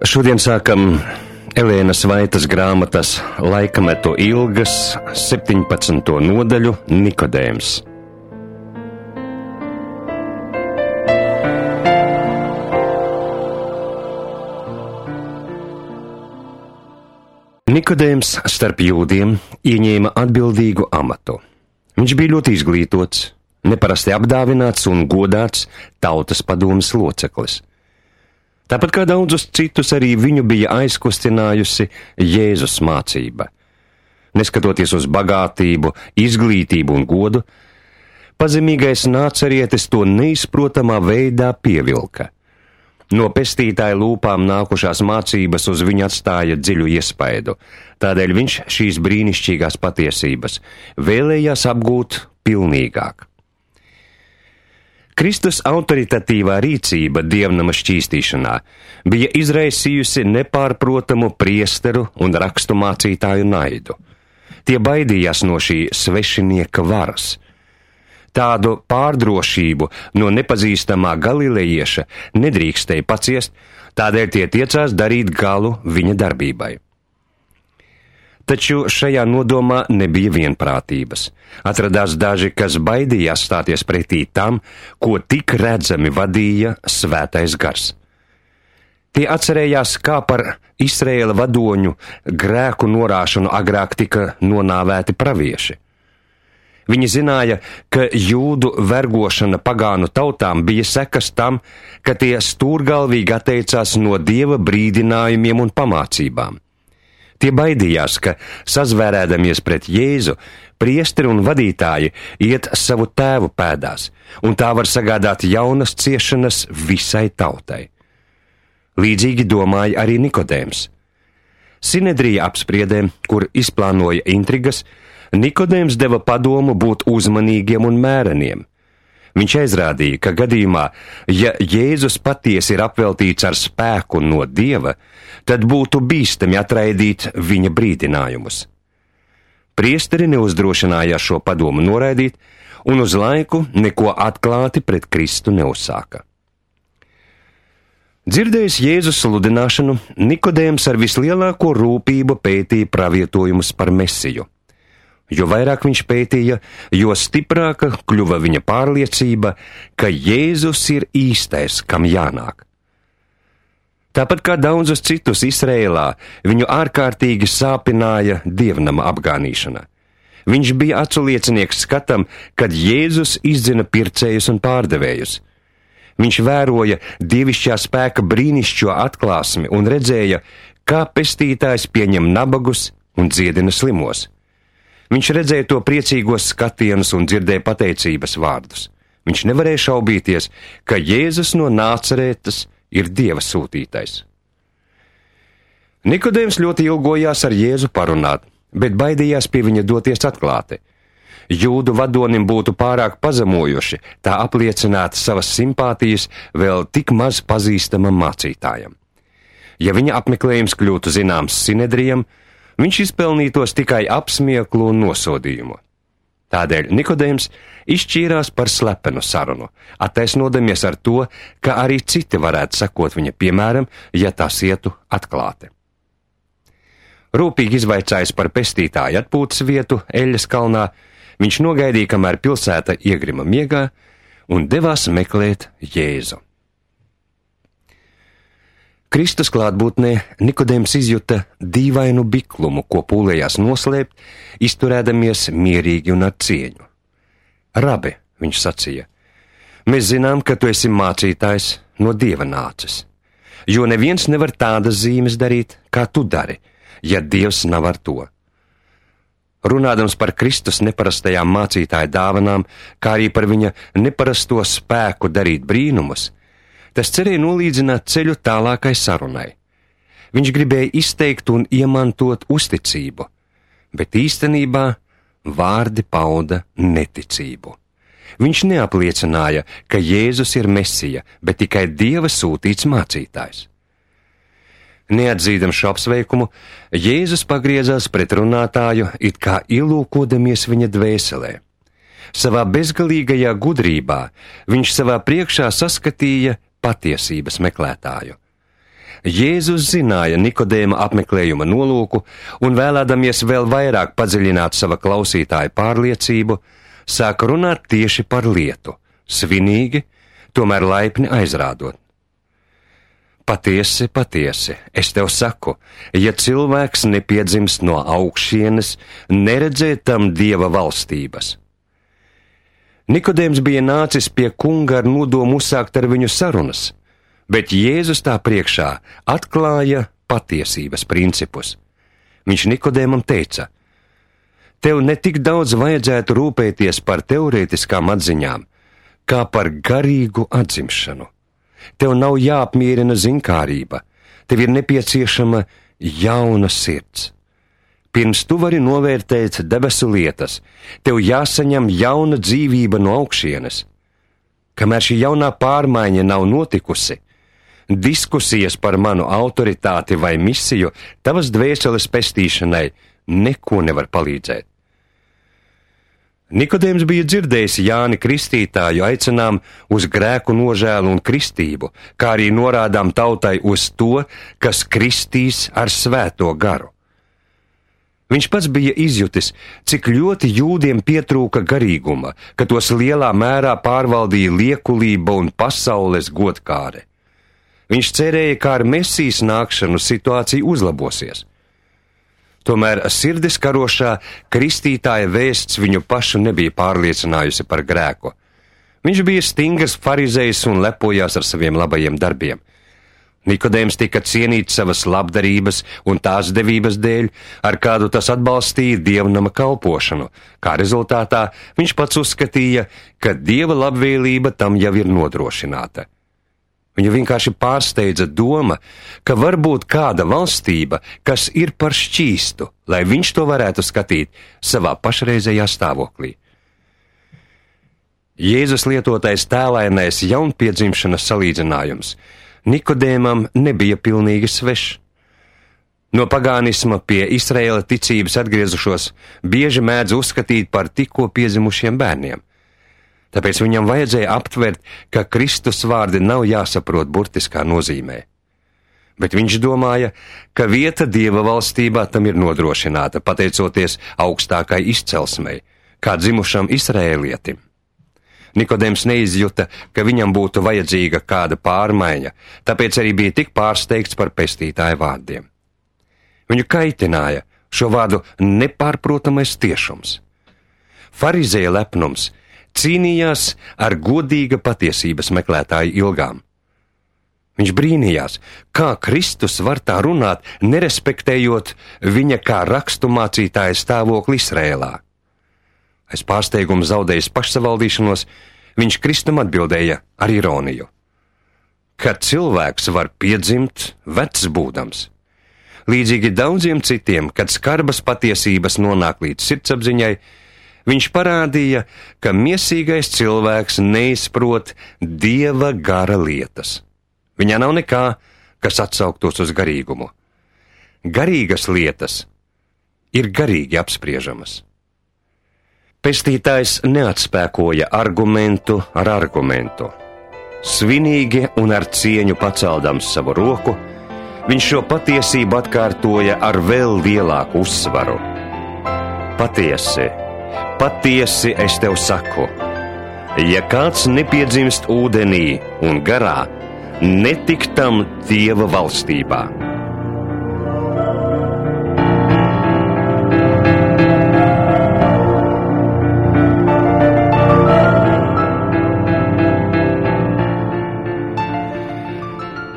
Šodien sākam Elēnas Vaitas grāmatas Laikmetu ilgas 17. nodaļu Nikodēms. Nikodēms starp jūdiem ieņēma atbildīgu amatu. Viņš bija ļoti izglītots, neparasti apdāvināts un godāts tautas padomes loceklis. Tāpat kā daudzus citus, arī viņu bija aizkustinājusi Jēzus mācība. Neskatoties uz bagātību, izglītību un godu, pazemīgais nācerietis to neizprotamā veidā pievilka. No pestītāja lūpām nākušās mācības uz viņu atstāja dziļu iespaidu, tādēļ viņš šīs brīnišķīgās patiesības vēlējās apgūt pilnīgāk. Kristus autoritatīvā rīcība dievnama šķīstīšanā bija izraisījusi nepārprotamu priesteru un rakstu mācītāju naidu. Tie baidījās no šī svešinieka varas. Tādu pārdrošību no nepazīstamā galilejieša nedrīkstēja paciest, tādēļ tie tiecās darīt galu viņa darbībai. Taču šajā nodomā nebija vienprātības. Atradās daži, kas baidījās stāties pretī tam, ko tik redzami vadīja svētais gars. Tie atcerējās, kā par Izraēla vadoņu grēku norāšanu agrāk tika nonāvēti pravieši. Viņi zināja, ka jūdu vergošana pagānu tautām bija sekas tam, ka tie stūrgalvīgi atteicās no Dieva brīdinājumiem un pamācībām. Tie baidījās, ka, sazvērēdamies pret Jēzu, priesteri un vadītāji iet savu tēvu pēdās, un tā var sagādāt jaunas ciešanas visai tautai. Līdzīgi domāja arī Nikodēms. Sinedrija apspriedēm, kur izplānoja intrigas, Nikodēms deva padomu būt uzmanīgiem un mēreniem. Viņš aizrādīja, ka gadījumā, ja Jēzus patiesi ir apveltīts ar spēku no Dieva, tad būtu bīstami atraidīt viņa brīdinājumus. Priesteri neuzdrošinājās šo padomu noraidīt, un uz laiku neko atklāti pret Kristu neuzsāka. Dzirdējis Jēzus sludināšanu, Nikodēms ar vislielāko rūpību pētīja pravietojumus par Mesiju. Jo vairāk viņš pētīja, jo stiprāka kļuva viņa pārliecība, ka Jēzus ir īstais, kam jānāk. Tāpat kā daudzus citus Izrēlā, viņu ārkārtīgi sāpināja dievnama apgānīšana. Viņš bija aculiecinieks skatam, kad Jēzus izdzina pircējus un pārdevējus. Viņš vēroja dievišķā spēka brīnišķo atklāsmi un redzēja, kā pestītājs pieņem nabagus un dziedina slimos. Viņš redzēja to priecīgos skatienus un dzirdēja pateicības vārdus. Viņš nevarēja šaubīties, ka Jēzus no Nācerētas ir Dieva sūtītais. Nikodēms ļoti ilgojās ar Jēzu parunāt, bet baidījās pie viņa doties atklāti. Jūdu vadonim būtu pārāk pazemojoši tā apliecināt savas simpātijas vēl tik maz pazīstamam mācītājam. Ja viņa apmeklējums kļūtu zināms Sinedrijam, viņš izpelnītos tikai apsmieklu un nosodījumu. Tādēļ Nikodēms izšķīrās par slepenu sarunu, attaisnodamies ar to, ka arī citi varētu sekot viņa piemēram, ja tās ietu atklāti. Rūpīgi izvaicājis par pestītāju atpūtas vietu Eļas kalnā, viņš nogaidīja, kamēr pilsēta iegrima miegā, un devās meklēt Jēzu. Kristus klātbūtnē Nikodēms izjuta dīvainu biklumu, ko pūlējās noslēpt, izturēdamies mierīgi un ar cieņu. Rabi, viņš sacīja, mēs zinām, ka tu esi mācītājs no Dieva nācis, jo neviens nevar tādas zīmes darīt, kā tu dari, ja Dievs nav ar to. Runādams par Kristus neparastajām mācītāja dāvanām, kā arī par viņa neparasto spēku darīt brīnumus, tas cerēja nolīdzināt ceļu tālākai sarunai. Viņš gribēja izteikt un iemantot uzticību, bet īstenībā vārdi pauda neticību. Viņš neapliecināja, ka Jēzus ir Mesija, bet tikai Dieva sūtīts mācītājs. Neatzīdams šo apsveikumu, Jēzus pagriezās pret runātāju, it kā ielūkodamies viņa dvēselē. Savā bezgalīgajā gudrībā viņš savā priekšā saskatīja patiesības meklētāju. Jēzus zināja Nikodēma apmeklējuma nolūku un vēlēdamies vēl vairāk padziļināt sava klausītāja pārliecību, sāka runāt tieši par lietu, svinīgi, tomēr laipni aizrādot. Patiesi, patiesi, es tev saku, ja cilvēks nepiedzimst no augšienes, neredzē tam Dieva valstības. Nikodēms bija nācis pie kunga ar nodomu uzsākt ar viņu sarunas, bet Jēzus tā priekšā atklāja patiesības principus. Viņš Nikodēmam teica: tev ne tik daudz vajadzētu rūpēties par teorētiskām atziņām, kā par garīgu atzimšanu. Tev nav jāapmierina zinkārība, tev ir nepieciešama jauna sirds. Pirms tu vari novērtēt debesu lietas, tev jāsaņem jauna dzīvība no augšienes. Kamēr šī jaunā pārmaiņa nav notikusi, diskusijas par manu autoritāti vai misiju tavas dvēseles pestīšanai neko nevar palīdzēt. Nikodēms bija dzirdējis Jāni Kristītāju aicinām uz grēku nožēlu un kristību, kā arī norādām tautai uz to, kas kristīs ar svēto garu. Viņš pats bija izjutis, cik ļoti jūdiem pietrūka garīguma, ka tos lielā mērā pārvaldīja liekulība un pasaules godkāre. Viņš cerēja, ka ar Mesijas nākšanu situācija uzlabosies. Tomēr sirdis karošā kristītāja vēsts viņu pašu nebija pārliecinājusi par grēku. Viņš bija stingrs farizejs un lepojās ar saviem labajiem darbiem. Nikodēms tika cienīts savas labdarības un tās devības dēļ, ar kādu tas atbalstīja dievnama kalpošanu, kā rezultātā viņš pats uzskatīja, ka dieva labvēlība tam jau ir nodrošināta. Viņu vienkārši pārsteidza doma, ka var būt kāda valstība, kas ir par šķīstu, lai viņš to varētu skatīt savā pašreizējā stāvoklī. Jēzus lietotais tēlainais jaunpiedzimšanas salīdzinājums Nikodēmam nebija pilnīgi svešs. No pagānisma pie Izraēla ticības atgriezušos bieži mēdz uzskatīt par tikko piedzimušiem bērniem. Tāpēc viņam vajadzēja aptvert, ka Kristus vārdi nav jāsaprot burtiskā nozīmē. Bet viņš domāja, ka vieta Dieva valstībā tam ir nodrošināta, pateicoties augstākai izcelsmei, kā dzimušam Izraēlietim. Nikodēms neizjuta, ka viņam būtu vajadzīga kāda pārmaiņa, tāpēc arī bija tik pārsteigts par pestītāja vārdiem. Viņu kaitināja šo vārdu nepārprotamais tiešums. Farizēja lepnums cīnījās ar godīga patiesības meklētāju ilgām. Viņš brīnījās, kā Kristus var tā runāt, nerespektējot viņa kā raksturmācītāja stāvokli Izrēlā. Aiz pārsteigumu zaudējis pašsavaldīšanos, viņš Kristum atbildēja ar ironiju: kad cilvēks var piedzimt vecs būdams. Līdzīgi daudziem citiem, kad skarbas patiesības nonāk līdz sirdsapziņai, viņš parādīja, ka miesīgais cilvēks neizprot Dieva gara lietas. Viņā nav nekā, kas atsauktos uz garīgumu. Garīgas lietas ir garīgi apspriežamas. Pestītājs neatspēkoja argumentu ar argumentu. Svinīgi un ar cieņu paceldams savu roku, viņš šo patiesību atkārtoja ar vēl lielāku uzsvaru. Patiesi, patiesi es tev saku, ja kāds nepiedzimst ūdenī un garā, netik tam Dieva valstībā.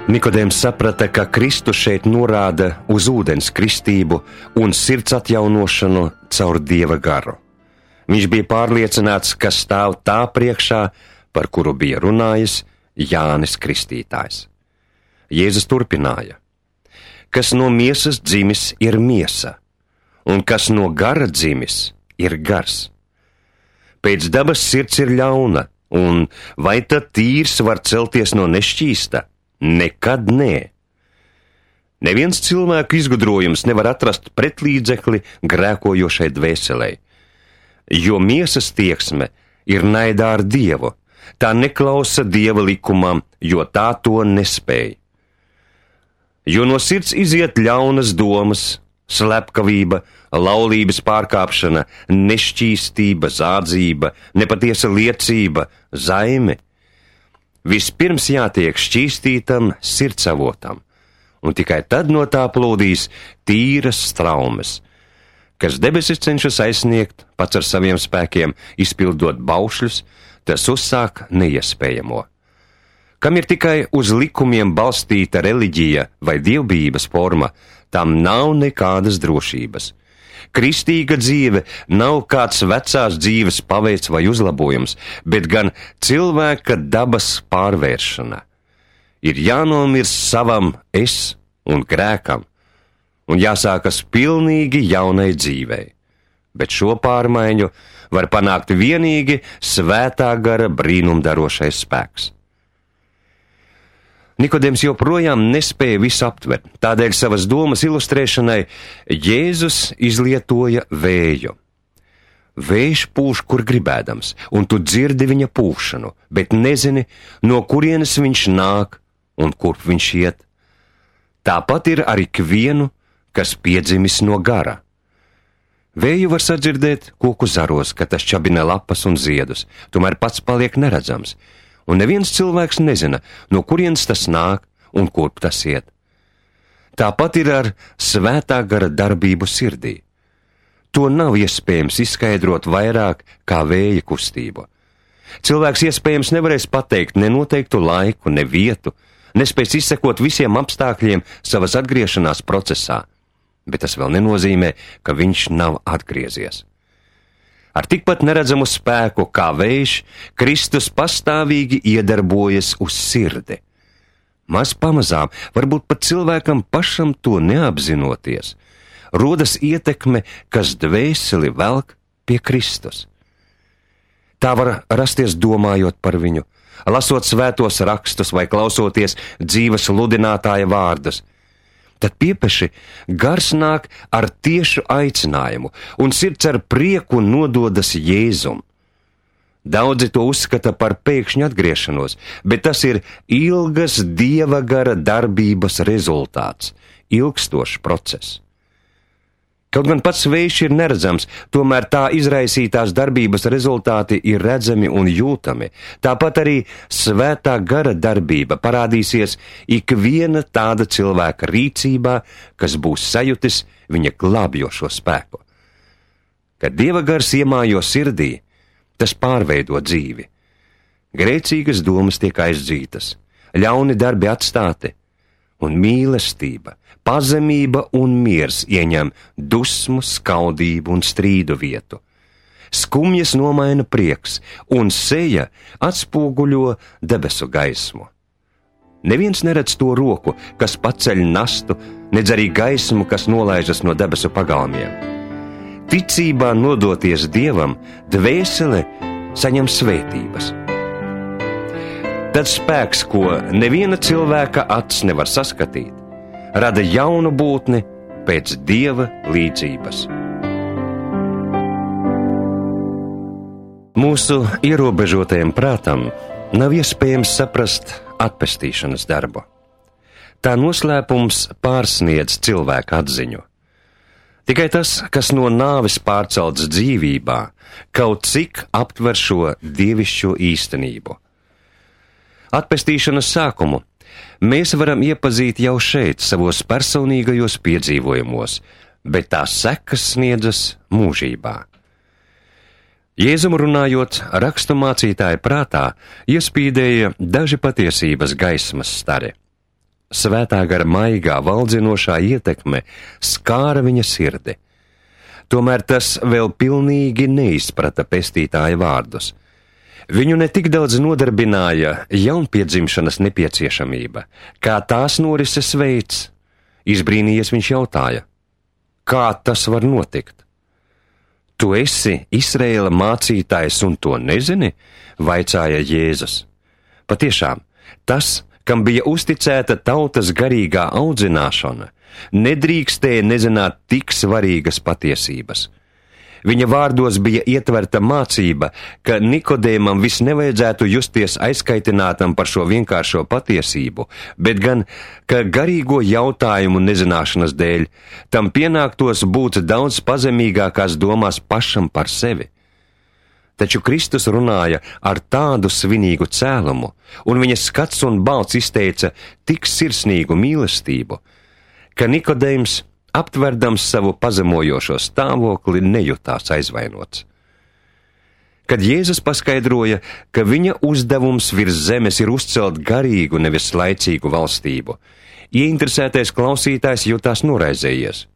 Nikodēms saprata, ka Kristus šeit norāda uz ūdens kristību un sirds atjaunošanu caur Dieva garu. Viņš bija pārliecināts, ka stāv tā priekšā, par kuru bija runājis Jānis Kristītājs. Jēzus turpināja: kas no miesas dzimis ir miesa, un kas no gara dzimis ir gars. Pēc dabas sirds ir ļauna, un vai tad tīrs var celties no nešķīsta? Nekad nē. Neviens cilvēku izgudrojums nevar atrast pretlīdzekli grēkojošai dvēselei, jo miesas tieksme ir naidā ar Dievu, tā neklausa Dieva likumam, jo tā to nespēj. Jo no sirds iziet ļaunas domas, slepkavība, laulības pārkāpšana, nešķīstība, zādzība, nepatiesa liecība, zaime. Vispirms jātiek šķīstītam sirdsavotam, un tikai tad no tā plūdīs tīras straumes, kas debesis cenšas aizsniegt pats ar saviem spēkiem, izpildot baušļus, tas uzsāk neiespējamo. Kam ir tikai uz likumiem balstīta reliģija vai dievbijības forma, tam nav nekādas drošības. Kristīga dzīve nav kāds vecās dzīves paveids vai uzlabojums, bet gan cilvēka dabas pārvēršana. Ir jānomirst savam es un grēkam, un jāsākas pilnīgi jaunai dzīvei. Bet šo pārmaiņu var panākt vienīgi svētā gara brīnumdarošais spēks. Nikodems joprojām nespēja visu aptvert, tādēļ savas domas ilustrēšanai Jēzus izlietoja vēju. Vējš pūš, kur gribēdams, un tu dzirdi viņa pūšanu, bet nezini, no kurienes viņš nāk un kurp viņš iet. Tāpat ir ar ikvienu, kas piedzimis no gara. Vēju var sadzirdēt koku zaros, kad tas čabina lapas un ziedus, tomēr pats paliek neredzams, un neviens cilvēks nezina, no kurienes tas nāk un kurp tas iet. Tāpat ir ar svētā gara darbību sirdī. To nav iespējams izskaidrot vairāk kā vēja kustību. Cilvēks iespējams nevarēs pateikt ne noteiktu laiku, ne vietu, nespēs izsekot visiem apstākļiem savas atgriešanās procesā, bet tas vēl nenozīmē, ka viņš nav atgriezies. Ar tikpat neredzamu spēku kā vējš, Kristus pastāvīgi iedarbojas uz sirdi. Maz pamazām, varbūt pat cilvēkam pašam to neapzinoties, rodas ietekme, kas dvēseli velk pie Kristus. Tā var rasties domājot par viņu, lasot svētos rakstus vai klausoties dzīves sludinātāja vārdus. Tad piepeši gars nāk ar tiešu aicinājumu, un sirds ar prieku nododas Jēzum. Daudzi to uzskata par pēkšņu atgriešanos, bet tas ir ilgas Dieva gara darbības rezultāts, ilgstošs process. Kaut gan pats vējš ir neredzams, tomēr tā izraisītās darbības rezultāti ir redzami un jūtami. Tāpat arī svētā gara darbība parādīsies ikviena tāda cilvēka rīcībā, kas būs sajutis viņa glābjošo spēku. Kad Dieva gars iemājo sirdī, tas pārveido dzīvi. Grēcīgas domas tiek aizdzītas, ļauni darbi atstāti, un mīlestība, pazemība un miers ieņem dusmu, skaudību un strīdu vietu. Skumjas nomaina prieks, un seja atspoguļo debesu gaismu. Neviens neredz to roku, kas paceļ nastu, nedz arī gaismu, kas nolaižas no debesu pagalmiem. Ticībā nodoties Dievam, dvēsele saņem svētības. Tad spēks, ko neviena cilvēka acs nevar saskatīt, rada jaunu būtni pēc Dieva līdzības. Mūsu ierobežotajam prātam nav iespējams saprast atpestīšanas darbu. Tā noslēpums pārsniedz cilvēka atziņu. Tikai tas, kas no nāves pārcelts dzīvībā, kaut cik aptver šo dievišķo īstenību. Atpestīšanas sākumu mēs varam iepazīt jau šeit, savos personīgajos piedzīvojumos, bet tās sekas sniedzas mūžībā. Jēzum runājot, raksturmācītāja prātā iespīdēja daži patiesības gaismas stari. Svētā gara maigā valdzinošā ietekme skāra viņa sirdi. Tomēr tas vēl pilnīgi neizprata pestītāja vārdus. Viņu ne tik daudz nodarbināja jaunpiedzimšanas nepieciešamība, kā tās norises veids. Izbrīnījies viņš jautāja, kā tas var notikt? Tu esi Izraēla mācītājs un to nezini? Vaicāja Jēzus. Patiešām, tas, kam bija uzticēta tautas garīgā audzināšana, nedrīkstēja nezināt tik svarīgas patiesības. Viņa vārdos bija ietverta mācība, ka Nikodēmam viss nevajadzētu justies aizkaitinātam par šo vienkāršo patiesību, bet gan, ka garīgo jautājumu nezināšanas dēļ tam pienāktos būt daudz pazemīgākās domās pašam par sevi. Taču Kristus runāja ar tādu svinīgu cēlumu, un viņa skats un balss izteica tik sirsnīgu mīlestību, ka Nikodēms, aptverdams savu pazemojošo stāvokli, nejutās aizvainots. Kad Jēzus paskaidroja, ka viņa uzdevums virs zemes ir uzcelt garīgu, nevis laicīgu valstību, ieinteresētais klausītājs jutās noraizējies.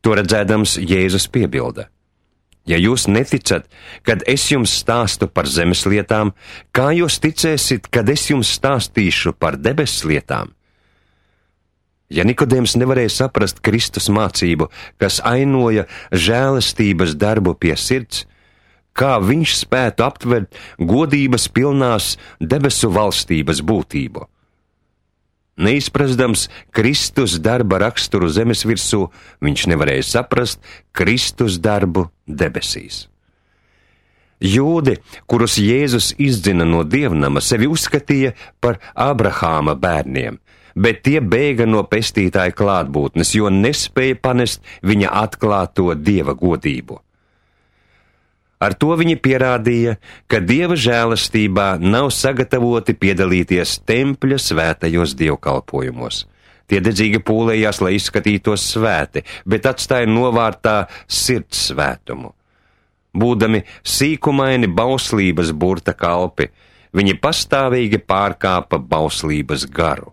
To redzēdams, Jēzus piebilda: ja jūs neticat, kad es jums stāstu par zemes lietām, kā jūs ticēsiet, kad es jums stāstīšu par debesu lietām? Ja Nikodēms nevarēja saprast Kristus mācību, kas ainoja žēlastības darbu pie sirds, kā viņš spētu aptvert godības pilnās debesu valstības būtību? Neizprastams Kristus darba raksturu zemes virsū, viņš nevarēja saprast Kristus darbu debesīs. Jūdi, kurus Jēzus izdzina no dievnama, sevi uzskatīja par Abrahāma bērniem, bet tie bēga no pestītāja klātbūtnes, jo nespēja panest viņa atklāto dieva godību. Ar to viņi pierādīja, ka dieva žēlastībā nav sagatavoti piedalīties tempļa svētajos dievkalpojumos. Tie dedzīgi pūlējās, lai izskatītos svēti, bet atstāja novārtā sirds svētumu. Būdami sīkumaini bauslības burta kalpi, viņi pastāvīgi pārkāpa bauslības garu.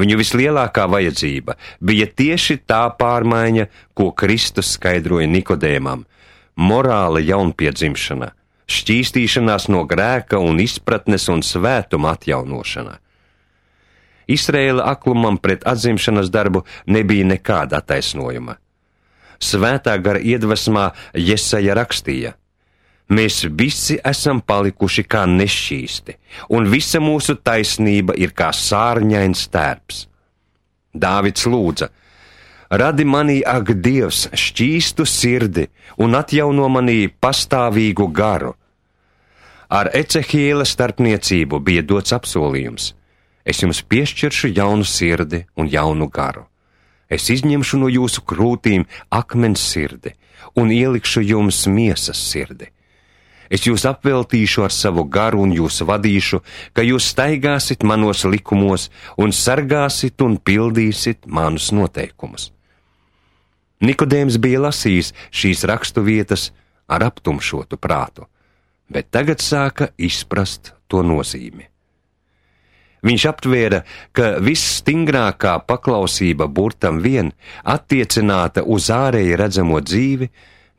Viņu vislielākā vajadzība bija tieši tā pārmaiņa, ko Kristus skaidroja Nikodēmam – morāla jaunpiedzimšana, šķīstīšanās no grēka un izpratnes un svētuma atjaunošana. Izraēla aklumam pret atzimšanas darbu nebija nekāda attaisnojuma. Svētā gara iedvesmā Jesaja rakstīja: mēs visi esam palikuši kā nešķīsti, un visa mūsu taisnība ir kā sārņains tērps. Dāvids lūdza: radi manī, ak, Dievs, šķīstu sirdi un atjauno manī pastāvīgu garu. Ar Ecehiela starpniecību bija dots apsolījums: es jums piešķiršu jaunu sirdi un jaunu garu. Es izņemšu no jūsu krūtīm akmens sirdi un ielikšu jums miesas sirdi. Es jūs apveltīšu ar savu garu un jūs vadīšu, ka jūs staigāsit manos likumos un sargāsit un pildīsit manus noteikumus. Nikodēms bija lasījis šīs rakstu vietas ar aptumšotu prātu, bet tagad sāka izprast to nozīmi. Viņš aptvēra, ka visstingrākā paklausība burtam vien attiecināta uz ārēji redzamo dzīvi,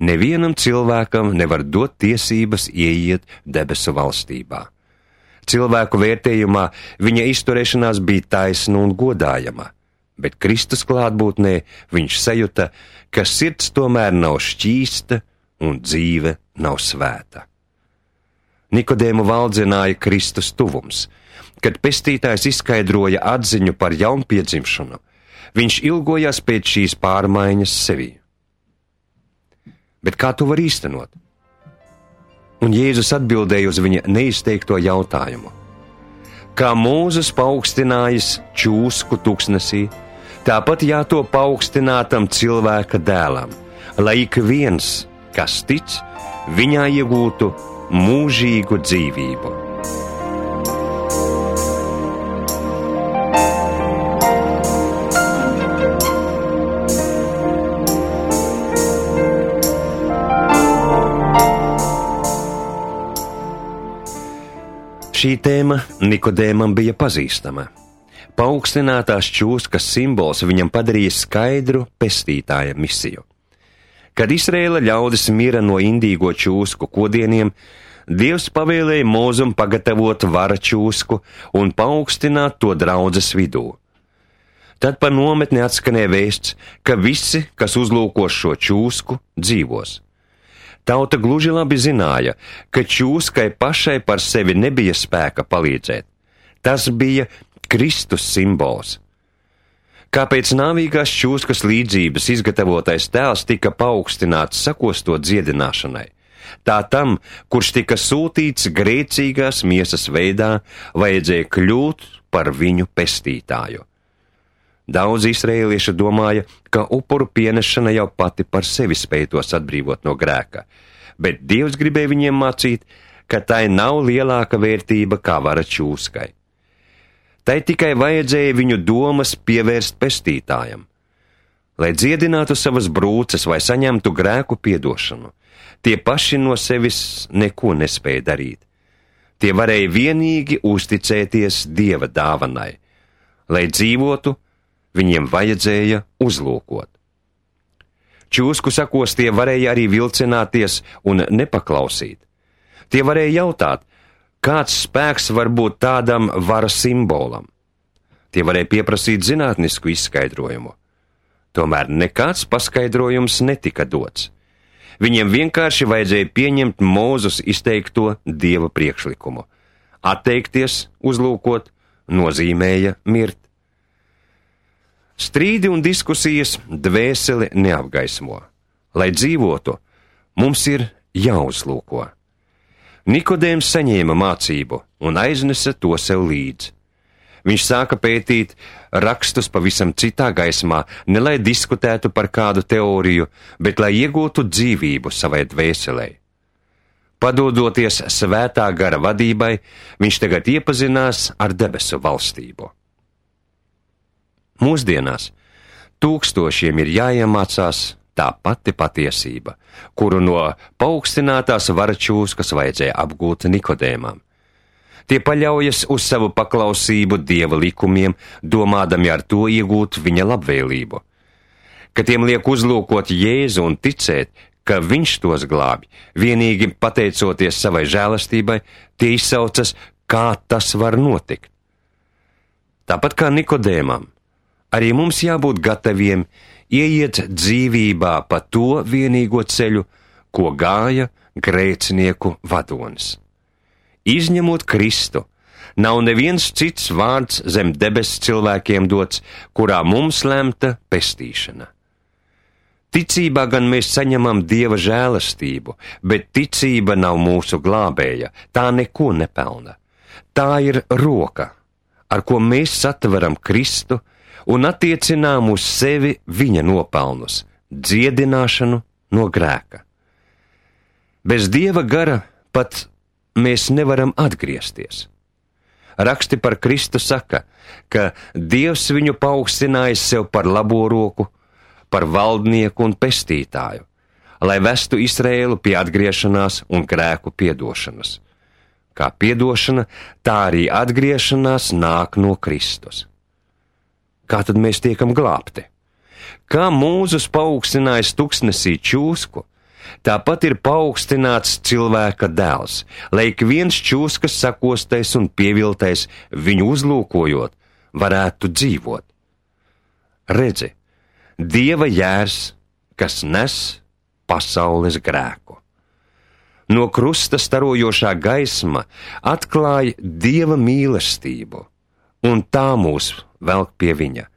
nevienam cilvēkam nevar dot tiesības ieiet debesu valstībā. Cilvēku vērtējumā viņa izturēšanās bija taisna un godājama, bet Kristus klātbūtnē viņš sajuta, ka sirds tomēr nav šķīsta un dzīve nav svēta. Nikodēmu valdzināja Kristus tuvums. Kad pestītājs izskaidroja atziņu par jaunpiedzimšanu, viņš ilgojās pēc šīs pārmaiņas sevī. Bet kā to var īstenot? Un Jēzus atbildēja uz viņa neizteikto jautājumu. Kā Mūzes paaugstinājis čūsku tuksnesī, tāpat jātop paaugstinātam cilvēka dēlam, lai ik viens, kas tic, viņā iegūtu mūžīgu dzīvību. Šī tēma Nikodēmam bija pazīstama. Paaugstinātās čūskas simbols viņam padarīja skaidru pestītāja misiju. Kad Izraēla ļaudis mira no indīgo čūsku kodieniem, Dievs pavēlēja Mūzum pagatavot vara čūsku un paaugstināt to draudzes vidū. Tad pa nometni atskanēja vēsts, ka visi, kas uzlūkos šo čūsku, dzīvos. Tauta gluži labi zināja, ka čūskai pašai par sevi nebija spēka palīdzēt. Tas bija Kristus simbols. Kāpēc nāvīgās čūskas līdzības izgatavotais tēls tika paaugstināts sakostot dziedināšanai? Tā tam, kurš tika sūtīts grēcīgās miesas veidā, vajadzēja kļūt par viņu pestītāju. Daudz izrēliešu domāja, ka upuru pienešana jau pati par sevi spēj tos atbrīvot no grēka, bet Dievs gribēja viņiem mācīt, ka tai nav lielāka vērtība kā vara čūskai. Tai tikai vajadzēja viņu domas pievērst pestītājam. Lai dziedinātu savas brūces vai saņemtu grēku piedošanu, tie paši no sevis neko nespēja darīt. Tie varēja vienīgi uzticēties Dieva dāvanai. Lai dzīvotu, viņiem vajadzēja uzlūkot. Čūsku sakos tie varēja arī vilcināties un nepaklausīt. Tie varēja jautāt, kāds spēks var būt tādam varas simbolam. Tie varēja pieprasīt zinātnisku izskaidrojumu. Tomēr nekāds paskaidrojums netika dots. Viņiem vienkārši vajadzēja pieņemt Mūzes izteikto Dieva priekšlikumu. Atteikties, uzlūkot, nozīmēja mirt. Strīdi un diskusijas dvēseli neapgaismo. Lai dzīvotu, mums ir jāuzlūko. Nikodēms saņēma mācību un aiznesa to sev līdzi. Viņš sāka pētīt rakstus pavisam citā gaismā, ne lai diskutētu par kādu teoriju, bet lai iegūtu dzīvību savai dvēselei. Padodoties svētā gara vadībai, viņš tagad iepazinās ar debesu valstību. Mūsdienās tūkstošiem ir jāiemācās tā pati patiesība, kuru no paaugstinātās vara čūskas vajadzēja apgūt Nikodēmam. Tie paļaujas uz savu paklausību Dieva likumiem, domādami ar to iegūt viņa labvēlību. Kad tiem liek uzlūkot Jēzu un ticēt, ka viņš tos glābj, vienīgi pateicoties savai žēlastībai, tie izsaucas, kā tas var notikt. Tāpat kā Nikodēmam, arī mums jābūt gataviem ieiet dzīvībā pa to vienīgo ceļu, ko gāja grēcinieku vadonis. Izņemot Kristu, nav neviens cits vārds zem debes cilvēkiem dots, kurā mums lemta pestīšana. Ticībā gan mēs saņemam Dieva žēlastību, bet ticība nav mūsu glābēja, tā neko nepelna. Tā ir roka, ar ko mēs satveram Kristu un attiecinām uz sevi viņa nopelnus, dziedināšanu no grēka. Bez Dieva gara pat mēs nevaram atgriezties. Raksti par Kristu saka, ka Dievs viņu paaugstinājis sev par labo roku, par valdnieku un pestītāju, lai vestu Izraēlu pie atgriešanās un grēku piedošanas. Kā piedošana, tā arī atgriešanās nāk no Kristus. Kā tad mēs tiekam glābti? Kā Mūzes paaugstinājis tuksnesī čūsku, tāpat ir paaugstināts cilvēka dēls, lai ik viens čūskas sakostais un pieviltais viņu uzlūkojot, varētu dzīvot. Redzi, Dieva jērs, kas nes pasaules grēku. No krusta starojošā gaisma atklāja Dieva mīlestību, un tā mūs velk pie viņa.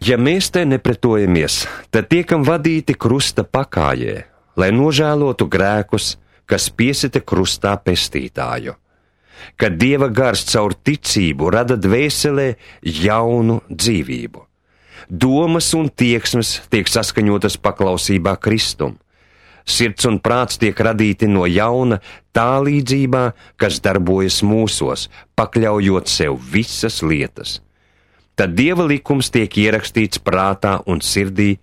Ja mēs te nepretojamies, tad tiekam vadīti krusta pakājē, lai nožēlotu grēkus, kas piesita krustā pestītāju. Kad Dieva gars caur ticību rada dvēselē jaunu dzīvību. Domas un tieksmes tiek saskaņotas paklausībā Kristum. Sirds un prāts tiek radīti no jauna tā līdzībā, kas darbojas mūsos, pakļaujot sev visas lietas. Tad Dieva likums tiek ierakstīts prātā un sirdī,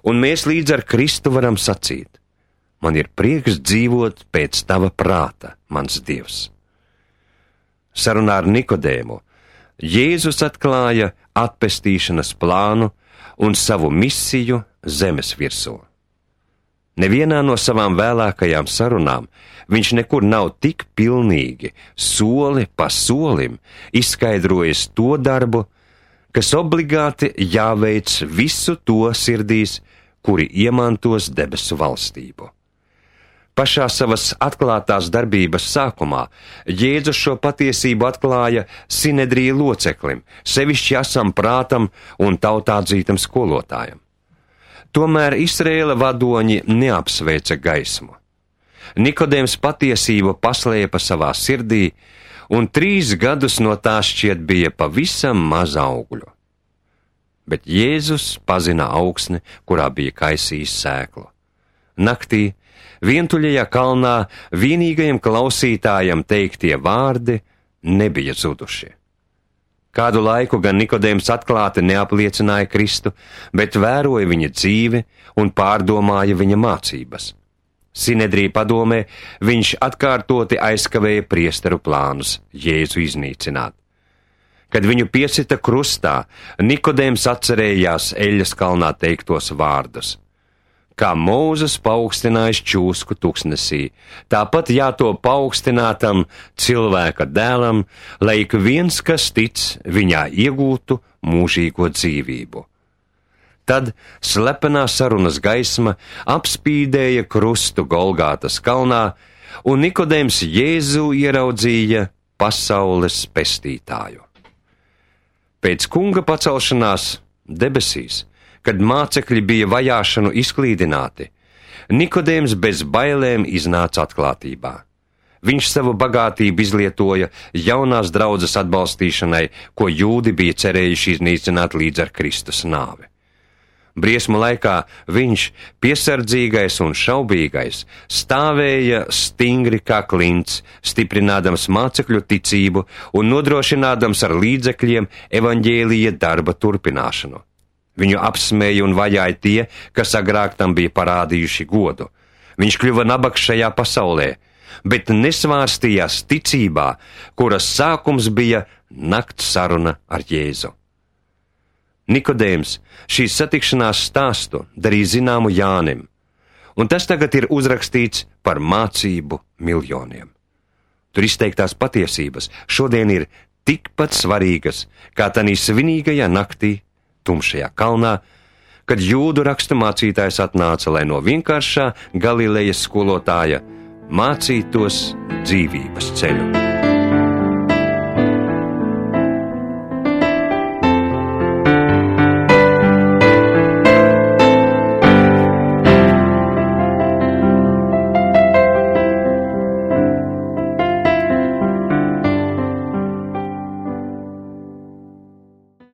un mēs līdz ar Kristu varam sacīt: man ir prieks dzīvot pēc tava prāta, mans Dievs. Sarunā ar Nikodēmu Jēzus atklāja atpestīšanas plānu un savu misiju zemes virsū. Nevienā no savām vēlākajām sarunām viņš nekur nav tik pilnīgi, soli pa solim izskaidrojis to darbu, kas obligāti jāveic visu to sirdīs, kuri iemantos debesu valstību. Pašā savas atklātās darbības sākumā Jēzus šo patiesību atklāja Sinedrija loceklim, sevišķi asam prātam un tautādzītam skolotājam. Tomēr Izraēla vadoņi neapsveica gaismu. Nikodēms patiesību paslēpa savā sirdī, un 3 gadus no tā šķiet bija pavisam maz augļu. Bet Jēzus pazina augsni, kurā bija kaisījis sēklu. Naktī, vientuļajā kalnā, vienīgajam klausītājam teiktie vārdi nebija zudušie. Kādu laiku gan Nikodēms atklāti neapliecināja Kristu, bet vēroja viņa dzīvi un pārdomāja viņa mācības. Sinedrija padomē viņš atkārtoti aizkavēja priesteru plānus Jēzu iznīcināt. Kad viņu piesita krustā, Nikodēms atcerējās Eļas kalnā teiktos vārdus. Kā Mūzes paaugstinājis čūsku tuksnesī, tāpat jātop paaugstinātam cilvēka dēlam, lai ik viens, kas tic, viņā iegūtu mūžīgo dzīvību. Tad slepenā sarunas gaisma apspīdēja krustu Golgātas kalnā, un Nikodēms Jēzu ieraudzīja pasaules pestītāju. Pēc kunga pacelšanās debesīs, kad mācekļi bija vajāšanu izklīdināti, Nikodēms bez bailēm iznāca atklātībā. Viņš savu bagātību izlietoja jaunās draudzes atbalstīšanai, ko jūdi bija cerējuši iznīcināt līdz ar Kristus nāvi. Briesmu laikā viņš, piesardzīgais un šaubīgais, stāvēja stingri kā klints, stiprinādams mācekļu ticību un nodrošinādams ar līdzekļiem evaņģēlija darba turpināšanu. Viņu apsmēja un vajāja tie, kas agrāk tam bija parādījuši godu. Viņš kļuva nabaks šajā pasaulē, bet nesvārstījās ticībā, kuras sākums bija nakts saruna ar Jēzu. Nikodēms šīs satikšanās stāstu darīja zināmu Jānim, un tas tagad ir uzrakstīts par mācību miljoniem. Tur izteiktās patiesības šodien ir tikpat svarīgas, kā tanī svinīgajā naktī, tumšajā kalnā, kad jūdu rakstu mācītājs atnāca, lai no vienkāršā Galilejas skolotāja mācītos dzīvības ceļu.